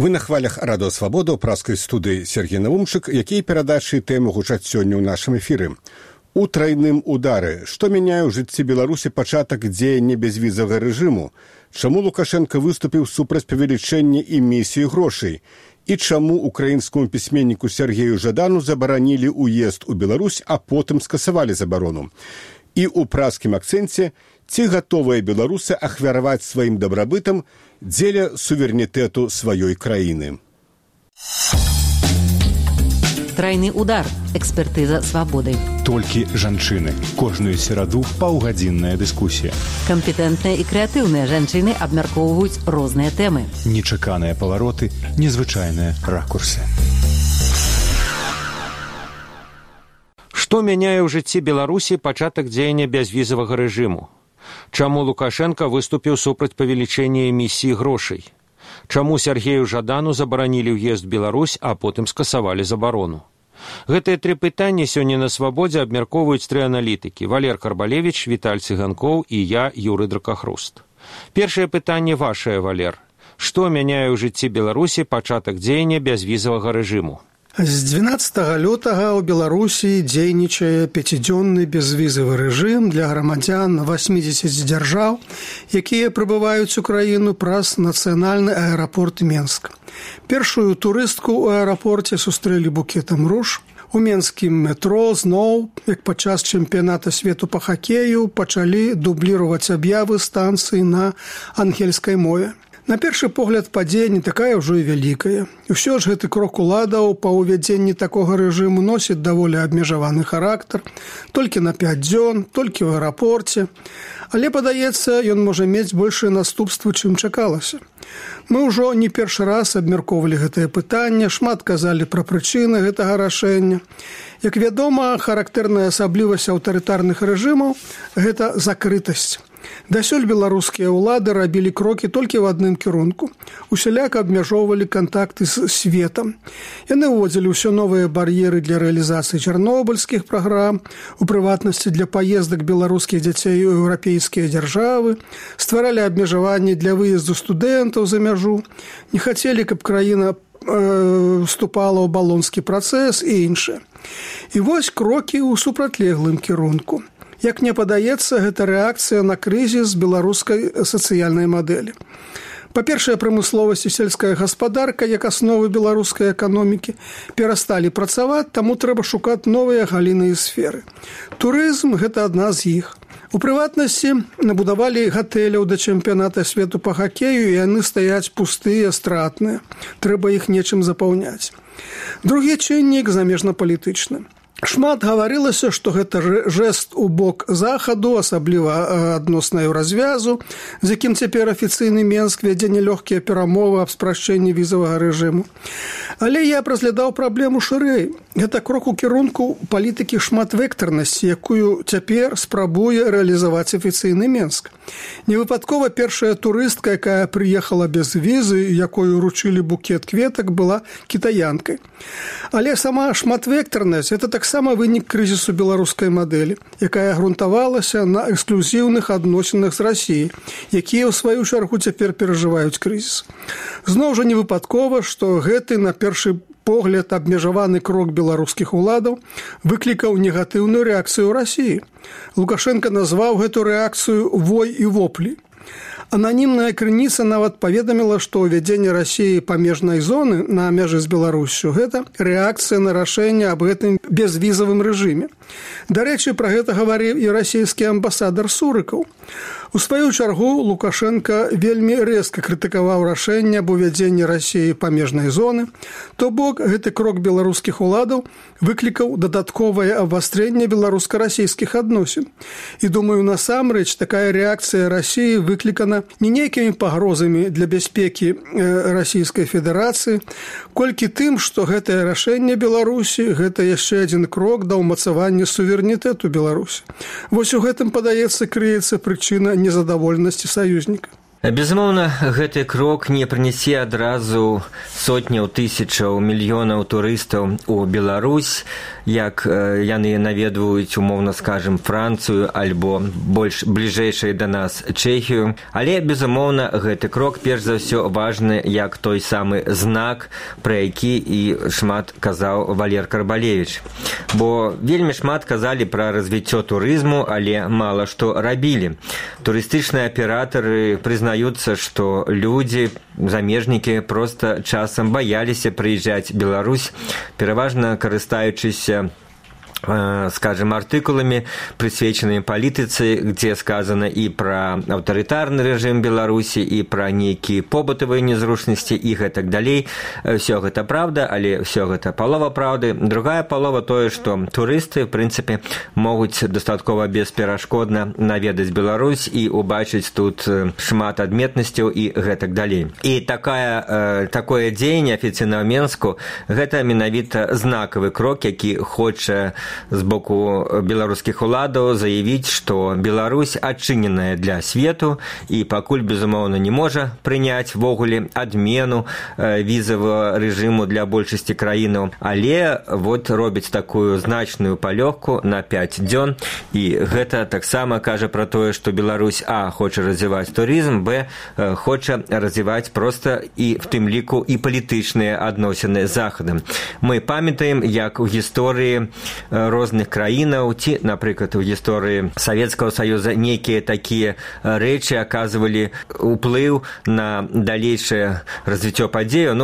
Вы на хвалях Радио Свабода ў праскай студыі Сергей Наумчык, якія перадачы тэмы гучаць сёння ў нашым эфіры. У трайным удары. Што мяняе ў жыцці Беларусі пачатак дзеяння безвізавага рэжыму? Чаму Лукашенко выступіў супраць павелічэння эмісіі грошай? І чаму украінскаму пісьменніку Сергею Жадану забаранілі ўезд у Беларусь, а потым скасавалі забарону? І ў праскім акцэнце, ці гатовыя беларусы ахвяраваць сваім дабрабытам дзеля суверэнітэту сваёй краіны. Трайны удар. Экспертыза свабоды. Толькі жанчыны. Кожную сераду паўгадзінная дыскусія. Кампетэнтныя і крэатыўныя жанчыны абмяркоўваюць розныя тэмы. Нечаканыя павароты, незвычайныя ракурсы. Што мяняе ў жыцці Беларусі пачатак дзеяння бязвізавага рэжыму? Чаму Лукашенко выступіў супраць павелічэння эмісіі грошай? Чаму Сергею Жадану забаранілі ўезд Беларусь, а потым скасавалі забарону? Гэтыя тры пытанні сёння на Свабодзе абмяркоўваюць тры аналітыкі: Валер Карбалевіч, Віталь Цыганкоў і я, Юрый Дракахруст. Першае пытанне вашае, Валер. Што мяняе ў жыцці Беларусі пачатак дзеяння бязвізавага рэжыму? З 12 лютага ў Беларусі дзейнічае 5-дзённы безвізавы рэжым для грамадзян 80 дзяржаў, якія прыбываюць у краіну праз нацыянальны аэрапорт Менск. Першую турыстку ў аэрапорце сустрэлі букетам руж. У менскім метро зноў, як падчас чэмпіяната свету па хакею, пачалі дубліраваць аб'явы станцыі на ангельскай мове. На першы погляд падзея не такая ўжо і вялікая. Усё ж гэты крок уладаў па ўвядзенні такога рэжыму носіць даволі абмежаваны характар, толькі на 5 дзён, толькі ў аэрапорце. Але, падаецца, ён можа мець большыя наступствы, чым чакалася. Мы ўжо не першы раз абмяркоўвалі гэтае пытанне, шмат казалі пра прычыны гэтага рашэння. Як вядома, характэрная асаблівасць аўтарытарных рэжымаў – гэта закрытасць. Дасюль беларускія ўлады рабілі крокі толькі ў адным кірунку. Усяляка абмяжоўвалі кантакты з светам. Яны ўводзілі ўсё новыя бар'еры для рэалізацыі чарнобыльскіх праграм, у прыватнасці для паездак беларускіх дзяцей у еўрапейскія дзяржавы, стваралі абмежаванні для выезду студэнтаў за мяжу, не хацелі, каб краіна вступала ў балонскі працэс і іншае. І вось крокі ў супрацьлеглым кірунку. Як мне падаецца, гэта рэакцыя на крызіс беларускай сацыяльнай мадэлі. Па-першае, прамысловасць і сельская гаспадарка, як асновы беларускай эканомікі, перасталі працаваць, таму трэба шукаць новыя галіны і сферы. Турызм – гэта адна з іх. У прыватнасці набудавалі гатэляў да чэмпіяната свету па хакею, і яны стаяць пустыя, стратныя. Трэба іх нечым запаўняць. Другі чыннік замежна-палітычны. Шмат гаварылася, што гэта жэст у бок захаду, асабліва адносна еўразвязу, з якім цяпер афіцыйны Менск вядзе нелёгкія перамовы аб спрашчэнні візавага рэжыму. Але я б разглядаў праблему шырэй. Гэта крок у кірунку палітыкі шматвектарнасці, якую цяпер спрабуе рэалізаваць афіцыйны Менск. Невыпадкова першая турыстка, якая прыехала без візы, якой уручылі букет кветак, была кітаянкай. Але сама шматвектарнасць – гэта таксама вынік крызісу беларускай мадэлі, якая грунтавалася на эксклюзіўных адносінах з Расіяй, якія ў сваю чаргу цяпер перажываюць крызіс. Зноў жа невыпадкова, што гэты на першы погляд абмежаваны крок беларускіх уладаў выклікаў негатыўную рэакцыю ў Расіі. Лукашенко назваў гэту рэакцыю «вой і воплі». Ананімная крыніца нават паведаміла, што ўвядзенне Расіі памежнай зоны на мяжы з Беларуссю – гэта рэакцыя на рашэнне аб гэтым безвізавым рэжыме. Дарэчы, пра гэта гаварыў і расійскі амбасадар Сурыкаў. У сваю чаргу Лукашенко вельмі рэзка крытыкаваў рашэнне аб увядзенні Расіі памежнай зоны, то бок гэты крок беларускіх уладаў выклікаў дадатковае абвастрэнне беларуска-расійскіх адносін. І думаю, насамрэч такая рэакцыя Расіі выклікана не нейкімі пагрозамі для бяспекі Расійскай Федэрацыі, колькі тым, што гэтае рашэнне Беларусі – гэта яшчэ адзін крок да ўмацавання суверэнітэту Беларусі. Вось у гэтым, падаецца, крыецца прычына незадаволенасці саюзніка. Безумоўна, гэты крок не прынясе адразу сотняў тысячаў мільёнаў турыстаў у Беларусь, як яны наведваюць, умоўна скажем, Францыю альбо больш бліжэйшай да нас Чэхію. Але, безумоўна, гэты крок перш за ўсё важны як той самы знак, пра які і шмат казаў Валер Карбалевіч. Бо вельмі шмат казалі пра развіццё турызму, але мала што рабілі. Турыстычныя аператары прызнаюцца, што людзі, замежнікі проста часам баяліся прыязджаць в Беларусь, пераважна карыстаючыся скажем, артыкуламі, прысвечанымі палітыцы, дзе сказана і пра аўтарытарны рэжым Беларусі, і пра нейкія побытавыя незручнасці і гэтак далей. Всё гэта правда, але ўсё гэта палова правды. Другая палова тое, што турысты, в прынцыпе, могуць дастаткова бесперашкодна наведаць Беларусь і убачыць тут шмат адметнасцяў і гэтак далей. І такое дзеянне афіцыйна ў Менску гэта менавіта знакавы крок, які хоча з боку беларускіх уладаў заявіць, што Беларусь адчыненая для свету і пакуль, безумоўна, не можа прыняць ввогуле адмену візавага рэжыму для большасці краінаў, але вот робіць такую значную палёгку на 5 дзён, і гэта таксама кажа пра тое, што Беларусь хоча развіваць турызм, хоча развіваць проста і в тым ліку і палітычныя адносіны з Захадам. Мы памятаем, як у гісторыі розных краінаў, ці, напрыклад, у гісторыі Савецкага Саюза нейкія такія рэчы аказвалі ўплыў на далейшае развіццё падзею.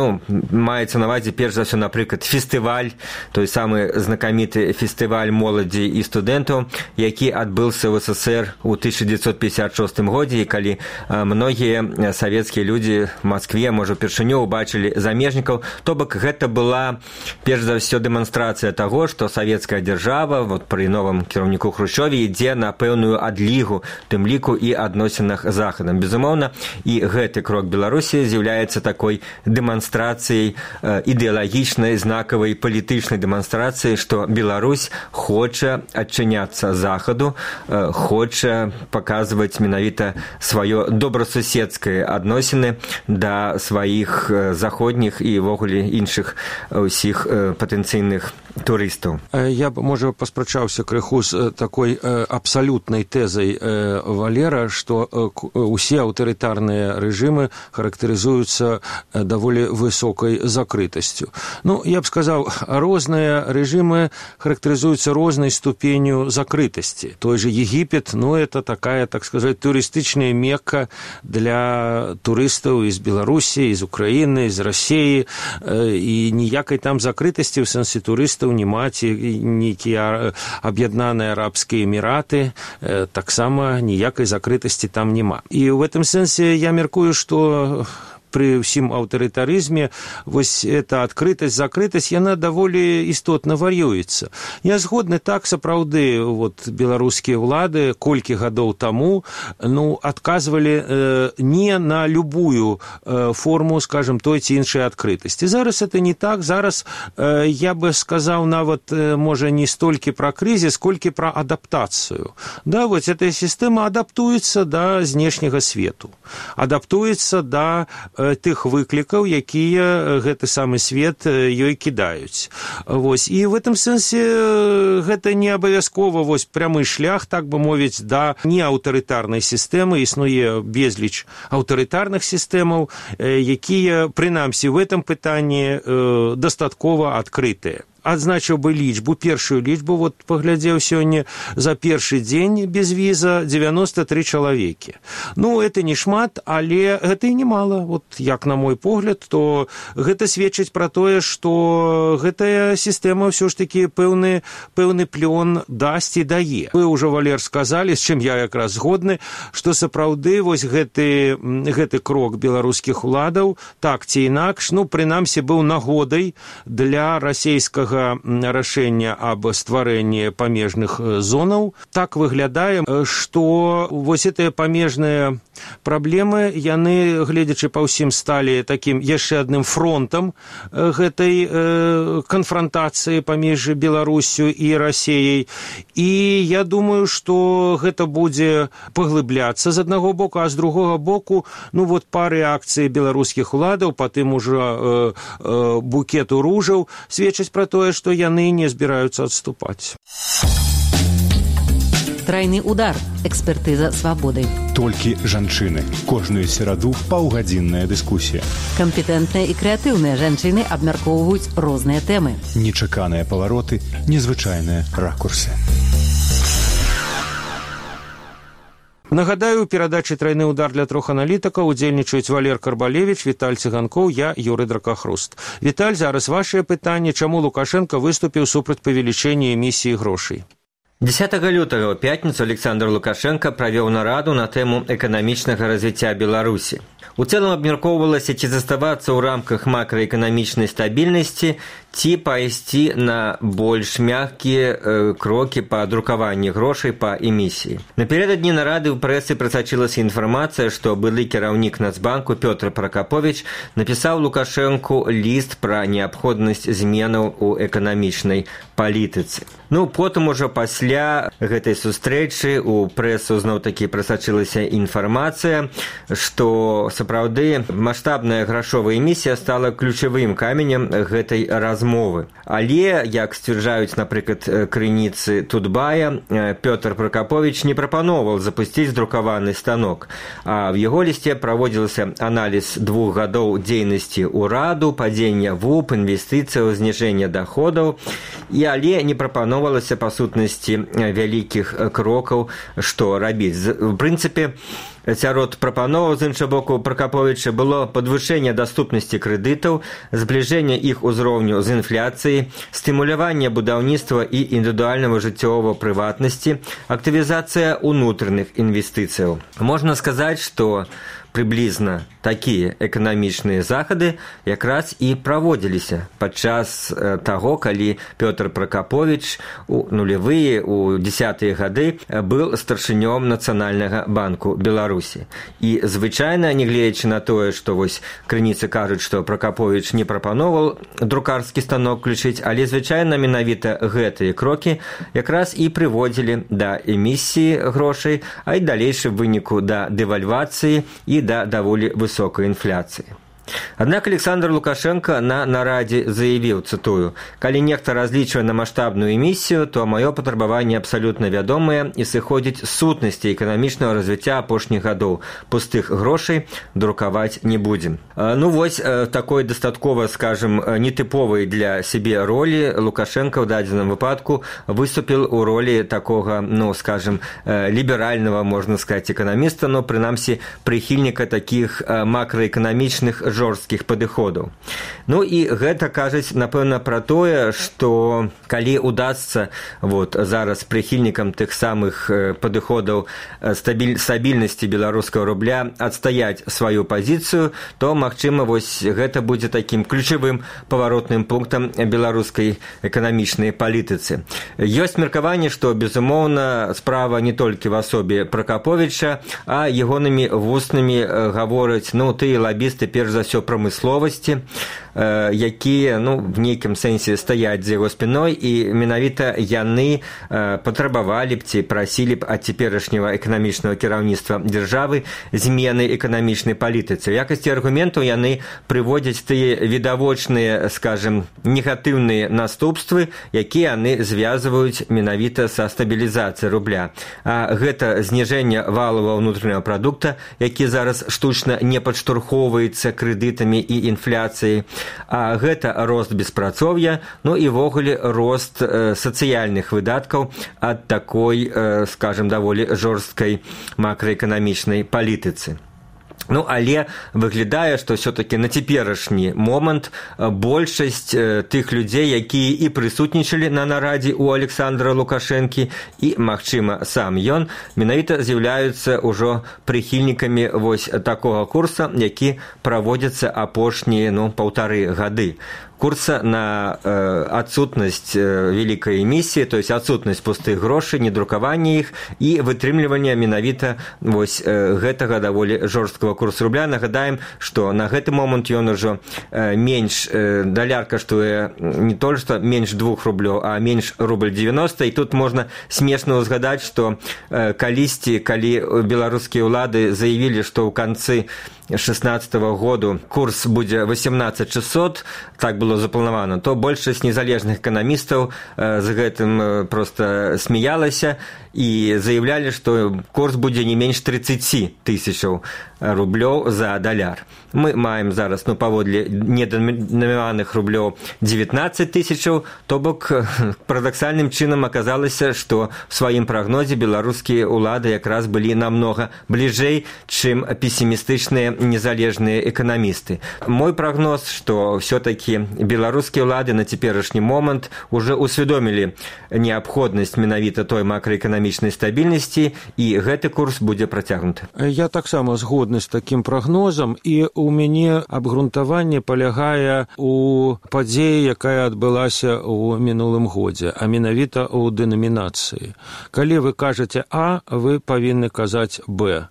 Маецца на ўвазе перш за ўсё, напрыклад, фестываль, той самы знакаміты фестываль моладзі і студэнтаў, які адбыўся в СССР у 1956 годзе, і калі многія савецкія людзі в Маскве, можа, упершыню убачылі замежнікаў, то бок гэта была перш за ўсё дэманстрацыя таго, што савецкая дзяржава пры новым кіраўніку Хрушчове ідзе на пэўную адлігу, тым ліку і адносінах з Захадам. Безумоўна, і гэты крок Беларусі з'яўляецца такой дэманстрацыяй, ідэалагічнай, знакавай палітычнай дэманстрацыяй, што Беларусь хоча адчыняцца Захаду, хоча паказваць менавіта сваё добрасуседскае адносіны да сваіх заходніх і ўвогуле іншых усіх патэнцыйных турыстаў. Я б, можа, паспрачаўся крыху з такой абсалютнай тэзай Валера, што усе аўтарытарныя рэжымы характарызуюцца даволі высокай закрытасцю. Я б сказаў, розныя рэжымы характарызуюцца рознай ступенью закрытасці. Той же Егіпет, это такая, так сказать, турыстычная мекка для турыстаў з Беларусі, з Украіны, з Расіі, і ніякай там закрытасці ў сэнсе турыстаў няма, ці нейкія аб'яднаныя арабскія эміраты, таксама ніякай закрытасці там няма. І ў гэтым сэнсе я мяркую, што пры ўсім аўтарытарызме вось эта адкрытасць, закрытасць, яна даволі істотна вар'юецца. Я згодны, так, сапраўды, беларускія ўлады колькі гадоў таму адказвалі не на любую форму, скажем, той ці іншай адкрытасці. Зараз это не так. Зараз я бы сказаў нават, можа, не столькі пра крызіс, колькі пра адаптацыю. Вось эта сістэма адаптуецца да знешняга свету, адаптуецца да тых выклікаў, якія гэты самы свет ёй кідаюць. І в этом сэнсе гэта не абавязкова прямы шлях, так бы мовіць, да неаўтарытарнай сістэмы. Існуе безліч аўтарытарных сістэмаў, якія, прынамсі, в этом пытанні дастаткова адкрытыя. Адзначыў бы лічбу, першую лічбу, паглядзеў сёння, за першы дзень без віза 93 чалавекі. Это не шмат, але гэта і немало. Як на мой погляд, то гэта сведчыць пра тое, што гэтая сістэма ўсё ж такі пэўны плён дасць і дае. Вы ўжо, Валер, сказалі, з чым я якраз згодны, што сапраўды гэты крок беларускіх уладаў, так ці інакш, прынамсі, быў нагодай для расейскага гэтага рашэння аб стварэнні памежных зонаў. Так выглядае, што вось гэтыя памежныя праблемы, яны, гледзячы па ўсім, сталі такім яшчэ адным фронтам гэтай канфрантацыі паміж Беларусю і Расіяй. І я думаю, што гэта будзе паглыбляцца з аднаго боку, а з другога боку, па рэакцыі беларускіх уладаў, па тым ужо букету ружаў, сведчыць пра тое, што яны не збіраюцца адступаць. Трайны удар. Экспертыза свабоды. Толькі жанчыны. Кожную сераду паўгадзінная дыскусія. Кампетэнтныя і крэатыўныя жанчыны абмяркоўваюць розныя тэмы. Нечаканыя павароты, незвычайныя ракурсы. Нагадаю, у перадачы «Трайны удар» для 3 аналітыкаў удзельнічаюць Валер Карбалевіч, Віталь Цыганкоў, я, Юрый Дракахруст. Віталь, зараз вашае пытанне, чаму Лукашенко выступіў супраць павелічэння эмісіі грошай? 10 лютага ў пятніцу Александр Лукашенко правёў нараду на тэму эканамічнага развіцця Беларусі. У цэлым абмяркоўвалася, ці заставацца ў рамках макраэканамічнай стабільнасці, ці пайсці на больш мяккія крокі па друкаванні грошай па эмісіі. Напярэдадні нарады ў прэсы прасачылася інфармацыя, што былы кіраўнік Нацбанку Пётр Пракаповіч напісаў Лукашэнку ліст пра неабходнасць зменаў у эканамічнай палітыцы. Потым ужо пасля гэтай сустрэчы у прэсу зноў-такі прасачылася інфармацыя, што сапраўды маштабная грашовая эмісія стала ключавым каменем гэтай размовы. Але, як сцвярджаюць, напрыклад, крыніцы Тутбая, Пётр Пракаповіч не прапаноўваў запусціць друкаваны станок. А в яго лісце праводзілася аналіз 2 гадоў дзейнасці ўраду, падзення ВУП, інвестыцыяў, зніжэння даходаў, але не прапаноўвалася па сутнасці вялікіх крокаў, што рабіць. В прынцыпе, сярод прапановаў з іншага боку Пракаповіча было падвышэнне даступнасці крэдытаў, збліжэнне іх узроўню з інфляцыяй, стымуляванне будаўніцтва і індывідуальнага жыццёвага прыватнасці, актывізацыя ўнутраных інвестыцыяў. Можна сказаць, што прыблізна такія эканамічныя захады якраз і праводзіліся падчас таго, калі Пётр Пракаповіч у нулявыя, у 10-е гады быў старшынём Нацыянальнага банку Беларусі. І звычайна, не гледзячы на тое, што вось крыніцы кажуць, што Пракаповіч не прапаноўваў друкарскі станок включыць, але звычайна менавіта гэтыя крокі якраз і прыводзілі да эмісіі грошай, а і далейшым выніку да дэвальвацыі і да даволі высокай інфляцыі. Аднак Александр Лукашенко на нарадзе заявіў, цытую: «Калі нехта разлічвае на маштабную эмісію, то маё патрабаванне абсалютна вядомае і сыходзіць з сутнасці эканамічнага развіцця апошніх гадоў. Пустых грошай друкаваць не будзем». Вось такой дастаткова, скажем, нетыповай для сябе ролі Лукашенко ў дадзеным выпадку выступіў у ролі такога, скажем, ліберальнага, можна сказаць, эканаміста, но прынамсі прыхільніка такіх макраэканамічных жорсткіх падыходаў. І гэта кажуць, напэўна, пра тое, што калі удасца зараз прыхільнікам тых самых падыходаў стабільнасці беларускага рубля адстаяць сваю пазіцыю, то, магчыма, вось гэта будзе такім ключавым паваротным пунктам беларускай эканамічнай палітыцы. Ёсць меркаванне, што, безумоўна, справа не толькі в асобе Пракаповіча, а ягонымі вуснымі гавораць, тыя лабісты, перш за ўсё, прамысловасці, якія, в нейкім сэнсе стаяць за яго спіной, і менавіта яны патрабавалі б ці прасілі б ад цяперашняга эканамічнага кіраўніцтва дзяржавы змены эканамічнай палітыцы. У якасці аргументаў яны прыводзяць тыя відавочныя, скажем, негатыўныя наступствы, якія яны звязваюць менавіта са стабілізацыяй рубля. А гэта зніжэнне валавага ўнутранага прадукта, які зараз штучна не падштурхоўваецца крэдытамі і інфляцыяй, а гэта рост беспрацоўя, і ввогуле рост сацыяльных выдаткаў ад такой, скажем, даволі жорсткай макраэканамічнай палітыцы. Але выглядае, што ўсё-такі на цяперашні момант большасць тых людзей, якія і прысутнічалі на нарадзе ў Александра Лукашэнкі і, магчыма, сам ён, менавіта з'яўляюцца ўжо прыхільнікамі вось такога курса, які праводзіцца апошнія 1,5 гады. курса на отсутность великой эмиссии, то есть отсутность пустых грошей, недрукавання іх і вытрымлівання менавіта вось гэтага даволі жорсткага курсу рубля. Нагадаем, што на гэты момант ён ужо менш, даляр каштуе не толькі што менш 2 рублёў, а менш рубль 90, і тут можна смешна ўзгадаць, што калісьці, калі беларускія ўлады заявілі, што ў канцы 2016 году курс будзе 18600, так было запланавана, то большасць незалежных эканамістаў з гэтым просто смяялася і заявлялі, што курс будзе не менш 30 000 рублёў за даляр. Мы маем зараз, паводле недэнамінаваных рублёў 19 000, то бок парадаксальным чынам аказалася, што в сваім прагнозе беларускія ўлады якраз былі намнога бліжэй, чым песімістычныя незалежныя эканамісты. Мой прагноз, што все-таки беларускія ўлады на цяперашні момант уже усвядомілі неабходнасць менавіта той макроэканамічнай стабільнасці, і гэты курс будзе працягнуты. Я таксама згодны з такім прагнозам, і у мяне абгрунтаванне палягае у падзеі, якая адбылася ў мінулым годзе, а менавіта ў дэнамінацыі. Калі вы кажаце А, вы павінны казаць Б.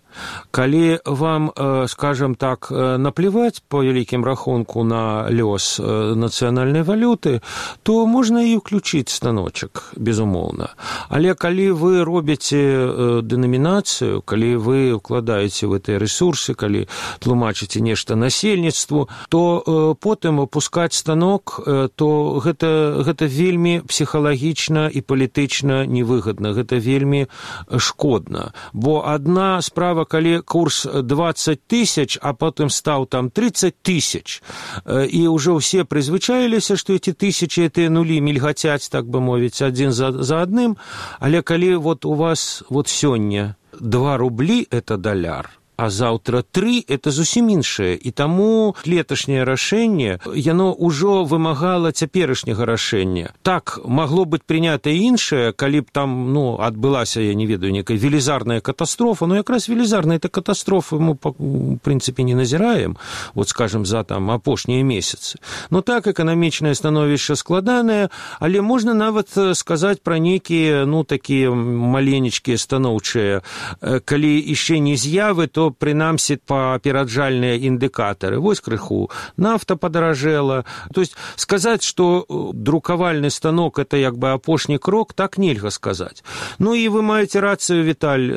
Калі вам, скажем так, наплевать по вялікім рахунку на лёс нацыянальнай валюты, то можна і ўключыць станочак, безумоўна. Але калі вы робіце дэнамінацыю, калі вы укладаеце в гэтыя рэсурсы, калі тлумачыце нешта насельніцтву, то потым опускаць станок, то гэта вельмі псіхалагічна і палітычна невыгадна, гэта вельмі шкодна. Бо адна справа, калі курс 20 000, а потым стаў там 30 000, і ўжо ўсе прызвычаіліся, што эти тысячи, гэтыя нулі мільгацяць, так бы мовіць, адзін за адным, але калі вот у вас вот сёння 2 рублі – это даляр, а заўтра 3 – это зусім іншае. І таму леташняе рашэнне, яно ўжо вымагала цяперашняга рашэння. Так, магло быць прынята іншае, калі б там, адбылася, я не ведаю, некая велізарная катастрофа, якраз велізарнай катастрофы мы, в прынцыпе, не назіраем, вот, скажем, за там апошнія месяцы. Так, эканамічнае становішча складанае, але можна нават сказаць пра нейкія, такія маленечкія станоўчыя. Калі яшчэ не з'явы, то прынамсі папераджальныя індыкатары. Вось крыху нафта падаражэла. То есть сказаць, што друкавальны станок – это як бы апошні крок, так нельга сказаць. І вы маеце рацыю, Віталь,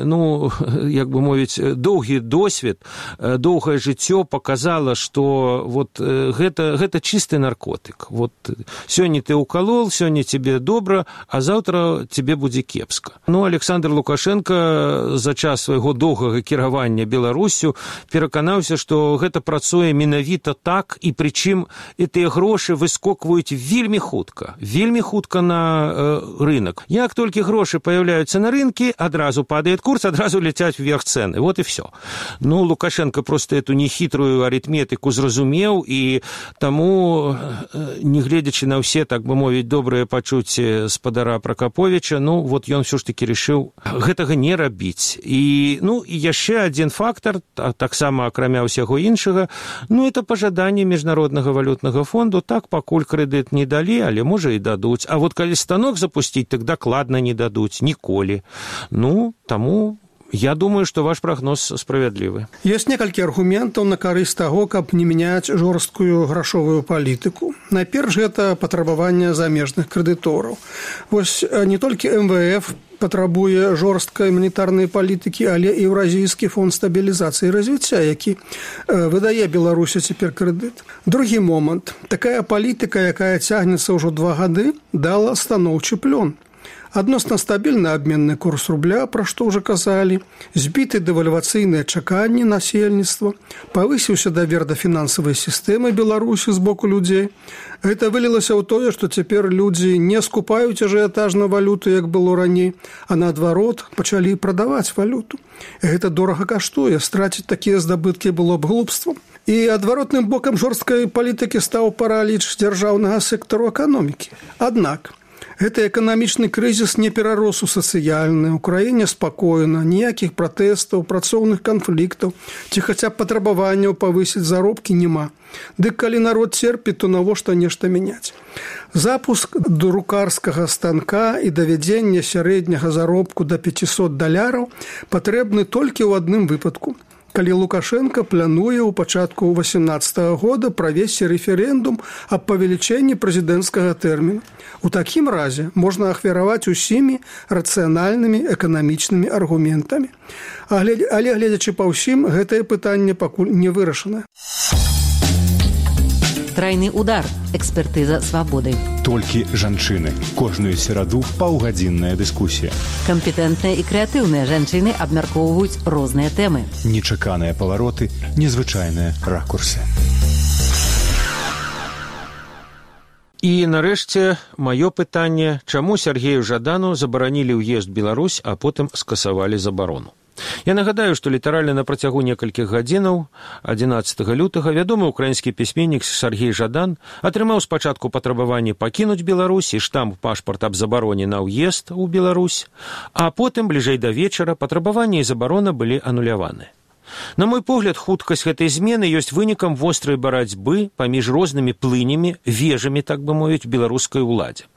як бы мовіць, доўгі досвед, доўгае жыццё показала, што вот гэта чысты наркотык. Вот сёння ты укалол, сёння тебе добра, а заўтра тебе будзе кепска. Александр Лукашенко за час свайго доўгага кіравання Беларусю пераканаўся, што гэта працуе менавіта так, і прычым гэтыя грошы выскокваюць вельмі хутка на рынок. Як толькі грошы паяўляюцца на рынке, адразу падае курс, адразу ляцяць вверх цэны. Вот і все. Лукашенко просто эту нехітрую арытметыку зразумеў, і таму, не гледзячы на ўсе, так бы мовіць, добрыя пачуцці спадара Пракаповіча, вот ён все ж таки решыў гэтага не рабіць. І яшчэ адзін фактор, таксама акрамя ўсяго іншага, это пажаданне Міжнароднага валютнага фонду, так пакуль крэдыт не далі, але можа і дадуць. А вот калі станок запусціць, так дакладна не дадуць ніколі. Таму я думаю, што ваш прагноз справядлівы. Ёсць некалькі аргументаў на карысць таго, каб не мяняць жорсткую грашовую палітыку. Найперш гэта патрабаванне замежных крэдытораў. Вось не толькі МВФ патрабуе жорсткай манетарнай палітыкі, але і Еўразійскі фонд стабілізацыі і развіцця, які выдае Беларусі цяпер крэдыт. Другі момант. Такая палітыка, якая цягнецца ўжо 2 гады, дала станоўчы плён. Адносна стабільны абменны курс рубля, пра што ўжо казалі, збіты дэвальвацыйныя чаканні насельніцтва, павысіўся давер да фінансавай сістэмы Беларусі з боку людзей. Гэта вылілася ў тое, што цяпер людзі не скупаюць ажыятажна валюту, як было раней, а наадварот пачалі прадаваць валюту. Гэта дорага каштуе, страціць такія здабыткі было б глупствам. І адваротным бокам жорсткай палітыкі стаў параліч дзяржаўнага сектару эканомікі. Аднак, Гэты эканамічны крызіс не перарос у сацыяльны. У краіне спакойна, ніякіх пратэстаў, працоўных канфліктаў ці хаця б патрабаванняў павысіць заробкі няма. Дык калі народ церпіць, то навошта нешта мяняць? Запуск друкарскага станка і давядзення сярэдняга заробку да $500 патрэбны толькі ў адным выпадку. Калі Лукашенко плануе ў пачатку 2018 года правесці рэферэндум аб павелічэнні прэзідэнцкага тэрміну. У такім разе можна ахвяраваць усімі рацыянальнымі эканамічнымі аргументамі. Але гледзячы па ўсім, гэтае пытанне пакуль не вырашана. Трайны удар. Экспертыза свабоды. Толькі жанчыны. Кожную сераду паўгадзінная дыскусія. Кампетэнтныя і крэатыўныя жанчыны абмяркоўваюць розныя тэмы. Нечаканыя павароты, незвычайныя ракурсы. І, нарэшце, маё пытанне, чаму Сергею Жадану забаранілі ўезд Беларусь, а потым скасавалі забарону? Я нагадаю, што літаральна на працягу некалькіх гадзінаў 11 лютага вядомы ўкраінскі пісьменнік Сергей Жадан атрымаў спачатку патрабаванне пакінуць Беларусь і штамп пашпарт аб забароне на ўезд у Беларусь, а потым, бліжэй да вечара, патрабаванне і забарона былі ануляваны. На мой погляд, хуткасць гэтай змены ёсць вынікам вострай барацьбы паміж рознымі плынямі, вежамі, так бы мовіць, беларускай уладзе.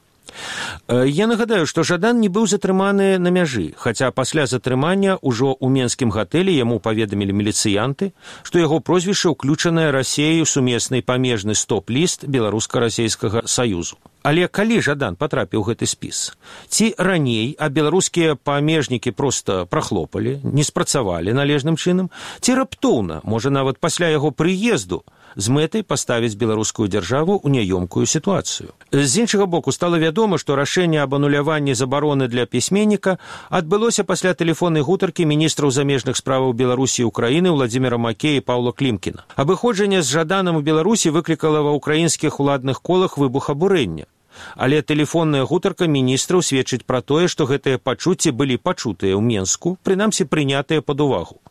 Я нагадаю, што Жадан не быў затрыманы на мяжы, хаця пасля затрымання ўжо ў менскім гатэлі яму паведамілі міліцыянты, што яго прозвішча ўключанае Расеяй у сумесны памежны стоп-ліст Беларуска-расейскага саюзу. Але калі Жадан патрапіў у гэты спіс? Ці раней, а беларускія памежнікі проста прахлопалі, не спрацавалі належным чынам, ці раптоўна, можа нават пасля яго прыезду, з мэтай паставіць беларускую дзяржаву ў няёмкую сітуацыю. З іншага боку, стала вядома, што рашэнне аб ануляванні забароны для пісьменніка адбылося пасля тэлефоннай гутаркі міністраў замежных справаў Беларусі і Украіны Владзіміра Макея і Паўла Клімкіна. Абыходжанне з Жаданам у Беларусі выклікала ва ўкраінскіх уладных колах выбух абурэння. Але тэлефонная гутарка міністраў сведчыць пра тое, што гэтыя пачуцці былі пачутыя ў Менску, прынамсі прынятыя пад увагу.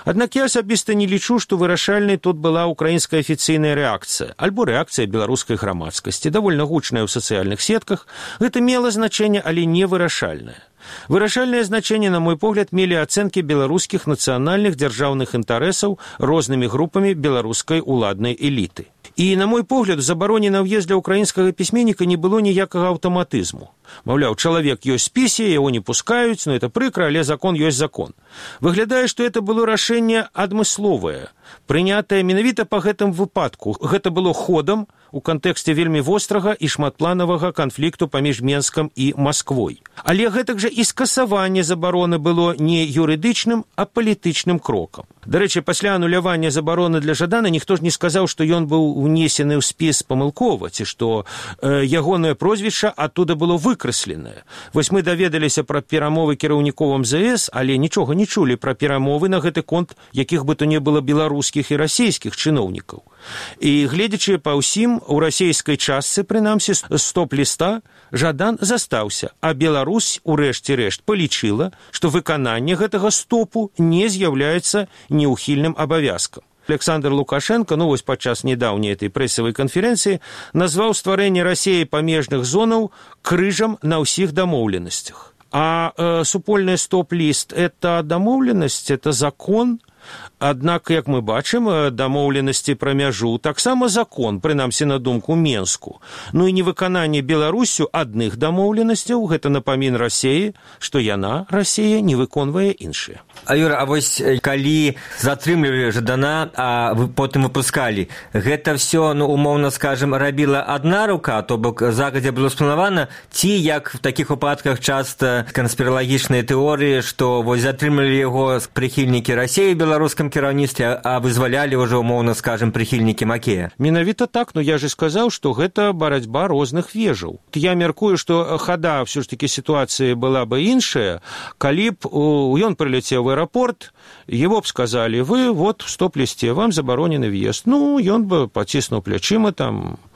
Аднак я асабіста не лічу, што вырашальнай тут была ўкраінская афіцыйная рэакцыя, альбо рэакцыя беларускай грамадскасці, давольна гучная ў сацыяльных сетках. Гэта мела значэнне, але не вырашальнае. Вырашальнае значэнне, на мой погляд, мелі ацэнкі беларускіх нацыянальных дзяржаўных інтарэсаў рознымі групамі беларускай уладнай эліты. І, на мой погляд, у забароне на ўезд для ўкраінскага пісьменніка не было ніякага аўтаматызму. Маўляў, чалавек ёсць спісе, яго не пускаюць, но это прыкра, але закон ёсць закон. Выглядае, што это было рашэнне адмысловае, прынятае менавіта па гэтым выпадку. Гэта было ходам у кантэксце вельмі вострага і шматпланавага канфлікту паміж Менскам і Масквой. Але гэтак жа і скасаванне забароны было не юрыдычным, а палітычным крокам. Дарэчы, пасля анулявання забароны для Жадана ніхто ж не сказаў, што ён быў унесены ў спіс памылкова, ці што ягонае прозвішча адтуда было выкрэсленае. Вось мы даведаліся пра перамовы кіраўнікоў МЗС, але нічога не чулі пра перамовы на гэты конт, якіх бы то не было беларускіх і расійскіх чыноўнікаў. І гледзячы па ўсім, у расійскай частцы, прынамсі, стоп-ліста, Жадан застаўся, а Беларусь, у рэшце рэшт, палічыла, што выкананне гэтага стопу не з'яўляецца неўхільным абавязкам. Александр Лукашенко, вось падчас нядаўняй этой прэсавай канферэнцыі, назваў стварэнне Расіі памежных зонаў крыжам на ўсіх дамоўленасцях. А супольны стоп-ліст – это дамоўленасць, это закон. Аднак, як мы бачым, дамоўленасці пра мяжу таксама закон, прынамсі на думку Менску. І невыкананне Беларусю адных дамоўленасцяў – гэта напамін Расіі, што яна, Расія, не выконвае іншыя. Юра, а вось калі затрымлівалі Жадана, а потым выпускалі, гэта ўсё, умоўна скажам, рабіла адна рука, то бок загадзя было спланавана, ці, як в такіх выпадках часта канспіралагічныя тэорыі, што вось затрымлівалі яго прыхільнікі Расіі ў беларускам кіраўніцтве, а вызвалялі ўжо, умоўна скажам, прыхільнікі Макея. Менавіта так, я же сказаў, што гэта барацьба розных вежаў. Я мяркую, што хада ўсё ж такі сітуацыі была бы іншая, калі б ён прилетел в аэропорт, его б сказали, вы вот в стоп-листе, вам забаронены въезд. Ён бы поціснуў плячыма,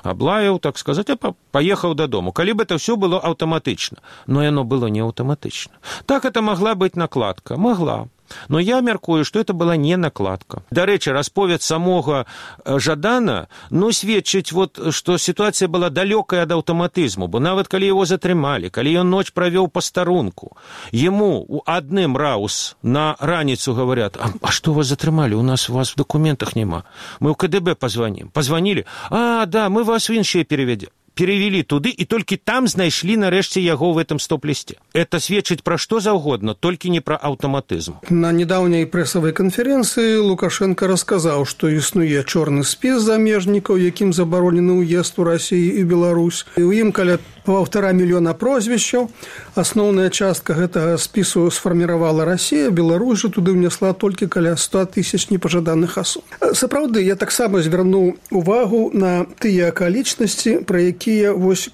аблаяў, так сказать, а поехаў дадому. Калі бы это все было аўтаматычна. Но яно было не аўтаматычна. Так это могла быть накладка. Могла. Но я мяркую, што это была не накладка. Дарэчы, расповед самога Жадана, сведчыць, што сітуацыя была далёкая ад аўтаматызму, бо нават калі яго затрымалі, калі ён ноч правёў па старунку, яму у адным раус на раніцу говорят: а што вас затрымалі, у вас в документах няма, мы ў КДБ позвоним. Позвонили: да, мы вас в іншыя перевели туды, і толькі там знайшлі нарэшце яго в этом стоп-лісце. Это сведчыць пра што заўгодна, толькі не пра аўтаматызм. На недаўняй прэсавай канферэнцыі Лукашенко расказаў, што існуе чорны спіс замежнікаў, якім забаронены ўезд у Расію і Беларусь. І ў ім каля 1,5 мільёна прозвішчаў. Асноўная частка гэтага спісу сфарміравала Расія, Беларусь жа туды ўнесла толькі каля 100 000 непажаданых асоб. Сапраўды, я таксама звярнуў увагу на тыя акалічнасці, пра якія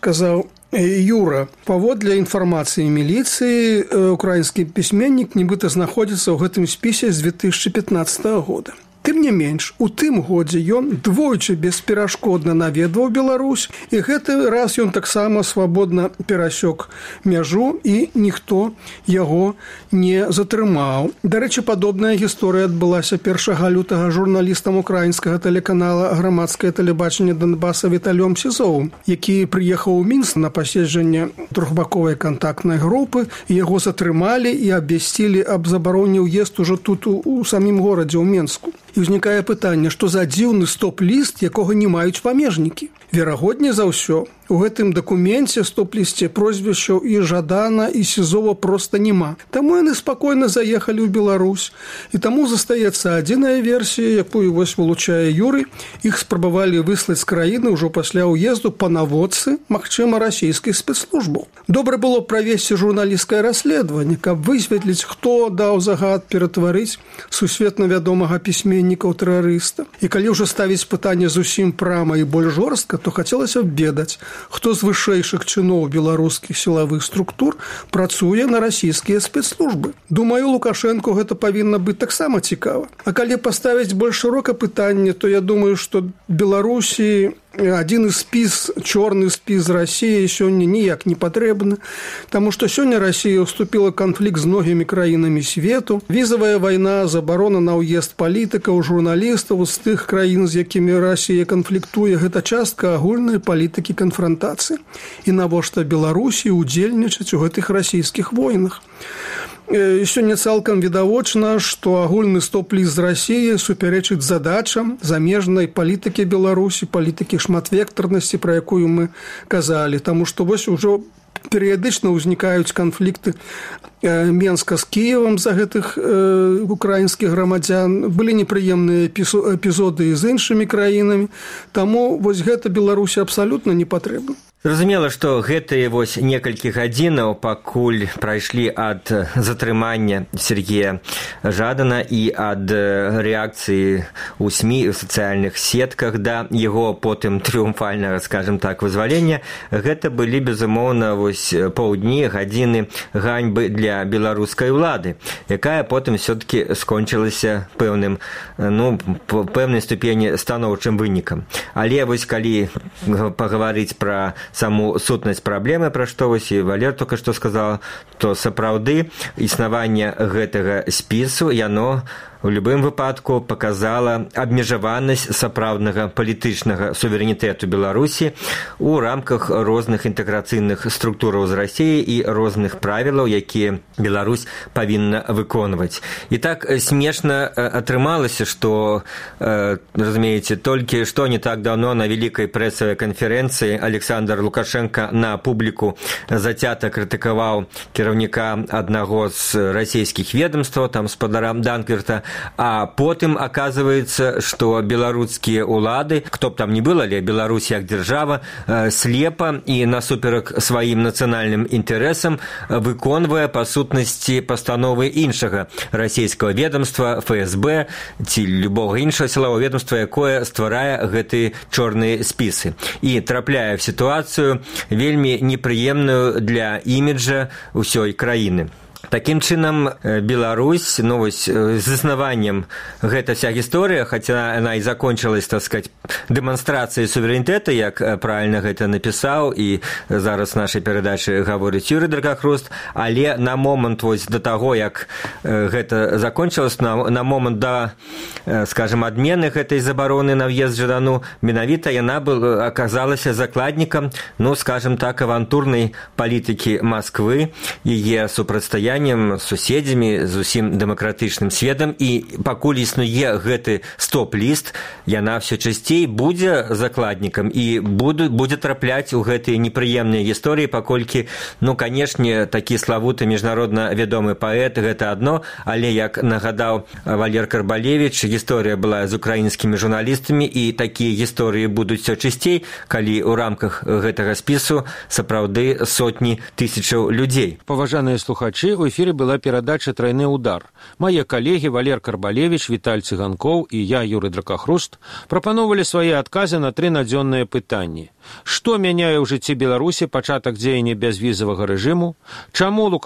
казаў Юра. Паводле інфармацыі міліцыі, украінскі пісьменнік нібыта знаходзіцца ў гэтым спісе з 2015 года. Тым не менш, у тым годзе ён двойчы бесперашкодна наведваў Беларусь, і гэты раз ён таксама свабодна перасёк мяжу, і ніхто яго не затрымаў. Дарэчы, падобная гісторыя адбылася 1 лютага журналістам украінскага тэлеканала «Грамадскае тэлебачанне Донбаса» Віталём Сізовым, які прыехаў у Мінск на паседжанне трохбаковай кантактнай групы, яго затрымалі і абвясцілі аб забароне ўезд ужо тут у самім горадзе, у Менску. І ўзнікае пытанне, што за дзіўны стоп-ліст, якога не маюць памежнікі. Верагодней за ўсё, у гэтым дакуменце стоп-лісце прозвішчаў і Жадана, і Сізова проста няма. Таму яны спакойна заехалі ў Беларусь. І таму застаецца адзіная версія, якую вылучае Юрый. Іх спрабавалі выслаць з краіны ўжо пасля ўезду па наводцы, магчыма, расійскіх спецслужбаў. Добра было правесці журналісцкае расследаванне, каб высветліць, хто даў загад ператварыць сусветна вядомага пісьменніка ў тэрарыста. І калі ўжо ставіць пытанне зусім прама і больш жорстка, то хацелася б ведаць, хто з вышэйшых чыноў беларускіх сілавых структур працуе на расійскія спецслужбы. Думаю, Лукашенко гэта павінна быць таксама цікава. А калі паставіць больш шырока пытанне, то я думаю, што Беларусі адзін спіс, чорны спіс Расіі сёння ніяк не патрэбны, таму што сёння Расія ўступіла канфлікт з многімі краінамі свету. Візавая вайна, забарона на ўезд палітыкаў, журналістаў з тых краін, з якімі Расія канфліктуе, гэта частка агульнай палітыкі канфрантацыі. І навошта Беларусі удзельнічаць у гэтых расійскіх войнах? Сёння цалкам відавочна, што агульны стоп-ліст з Расіі супярэчыць задачам замежнай палітыкі Беларусі, палітыкі шматвектарнасці, пра якую мы казалі. Таму што вось ужо перыядычна ўзнікаюць канфлікты Менска з Кіевам за гэтых украінскіх грамадзян. Былі непрыемныя эпізоды з іншымі краінамі. Таму вось гэта Беларусі абсалютна не патрэбна. Зразумела, што гэтыя некалькі гадзінаў пакуль прайшлі ад затрымання Сергея Жадана і ад рэакцыі ў СМІ і ў сацыяльных сетках да яго потым трыумфальнага, скажем так, вызвалення. Гэта былі, безумоўна, паўдні, гадзіны ганьбы для беларускай улады, якая потым все-таки скончылася пэўнай ступені станоўчым вынікам. Але калі пагаварыць пра саму сутнасць праблемы, пра што і Валер только што сказала, то сапраўды існаванне гэтага спісу, яно у любым выпадку показала абмежаванасць сапраўднага палітычнага суверэнітэту Беларусі у рамках розных інтэграцыйных структураў з Расіяй і розных правілаў, якія Беларусь павінна выконваць. І так смешна атрымалася, што, разумееце, толькі што не так даўно на вялікай прэсавай канферэнцыі Александр Лукашенко на публіку зацята крытыкаваў кіраўніка аднаго з расійскіх ведомстваў, там спадара Данкверта, а потым аказваецца, што беларускія ўлады, хто б там не было, але Беларусь як дзяржава слепа і насуперак сваім нацыянальным інтарэсам выконвае па сутнасці пастановы іншага расійскага ведомства, ФСБ ці любога іншага сілавого ведомства, якое стварае гэтыя чорныя спісы і трапляе в сітуацыю вельмі непрыемную для іміджа ўсёй краіны. Такім чынам, Беларусь, з існаваннем гэта вся гісторыя, хаця яна і закончылась, так сказать, дэманстрацыі суверэнітэта, як правільна гэта напісаў, і зараз нашай перадачы гаворыць Юрый Дракахруст, але на момант вось да таго, як гэта закончылось, на момант да, скажем, адмены гэтай забароны на ўезд жадану, менавіта яна аказалася закладнікам, ну, скажем так, авантурнай палітыкі Масквы, яе супрацьстаяннем з суседзямі, з усім дэмакратычным светам, і пакуль існуе гэты стоп-ліст, яна все часцей будзе закладнікам і будзе трапляць у гэтыя непрыемныя гісторыі, паколькі, ну, канешне, такі славуты міжнародна вядомы паэт, гэта адно, але, як нагадаў Валер Карбалевіч, гісторыя была з украінскімі журналістамі, і такія гісторыі будуць все часцей, калі ў рамках гэтага спісу сапраўды сотні тысячаў людзей. Паважаныя слухачы, у эфіры была перадача «Тройны удар». Мае калегі Валер Карбалевіч, Віталь Цыганкоў і я, Юрый Дракахруст, прапановалі свае адказы на 3 надзённыя пытанні. Што мяняе ў жыцці Беларусі пачатак дзеяння бязвізавага рэжыму? Чаму